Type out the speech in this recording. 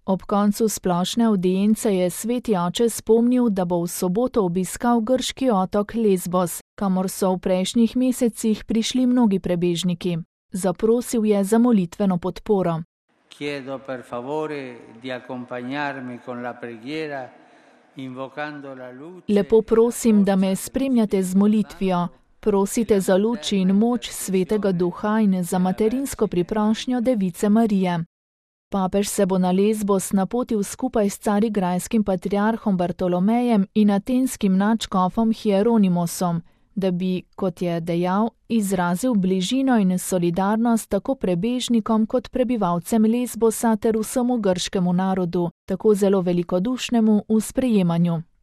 Ob koncu splošne avdience je sveti oče spomnil, da bo v soboto obiskal grški otok Lesbos, kamor so v prejšnjih mesecih prišli mnogi prebežniki. Zaprosil je za molitveno podporo. Chiedo per favore di accompagnarmi con la preghiera, invocando la luce. Lepo prosim, da me spremljate z molitvijo. Prosite za luč in moč Svetega Duha in za materinsko priprošnjo Device Marije. Papež se bo na Lesbos napotil skupaj s carigrajskim patriarhom Bartolomejem in atenskim nadškofom Hieronimosom, da bi, kot je dejal, izrazil bližino in solidarnost tako prebežnikom kot prebivalcem Lesbosa ter vsemu grškemu narodu, tako zelo velikodušnemu v sprejemanju.